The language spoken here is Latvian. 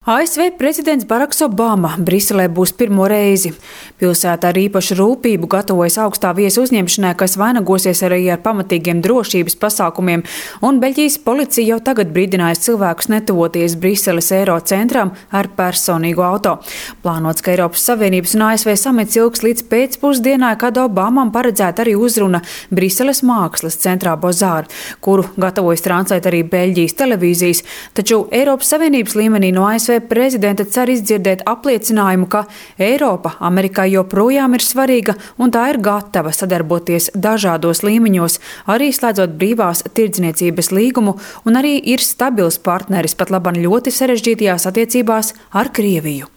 ASV prezidents Baraks Obama Briselē būs pirmo reizi. Pilsēta ar īpašu rūpību gatavojas augstā viesu uzņemšanai, kas vainagosies arī ar pamatīgiem drošības pasākumiem, un Beļģijas policija jau tagad brīdinājis cilvēkus netuvoties Briseles Eiro centram ar personīgo auto. Plānots, ka Eiropas Savienības un ASV samits ilgs līdz pēcpusdienai, kad Obamam paredzēta arī uzruna Briseles mākslas centrā Bozār, kuru gatavojas translēt arī Beļģijas televīzijas, taču Eiropas Savienības līmenī no ASV prezidenta cer izdzirdēt apliecinājumu, ka Eiropa Amerikai joprojām ir svarīga un tā ir gatava sadarboties dažādos līmeņos, arī slēdzot brīvās tirdzniecības līgumu, un arī ir stabils partneris pat laban ļoti sarežģītajās attiecībās ar Krieviju.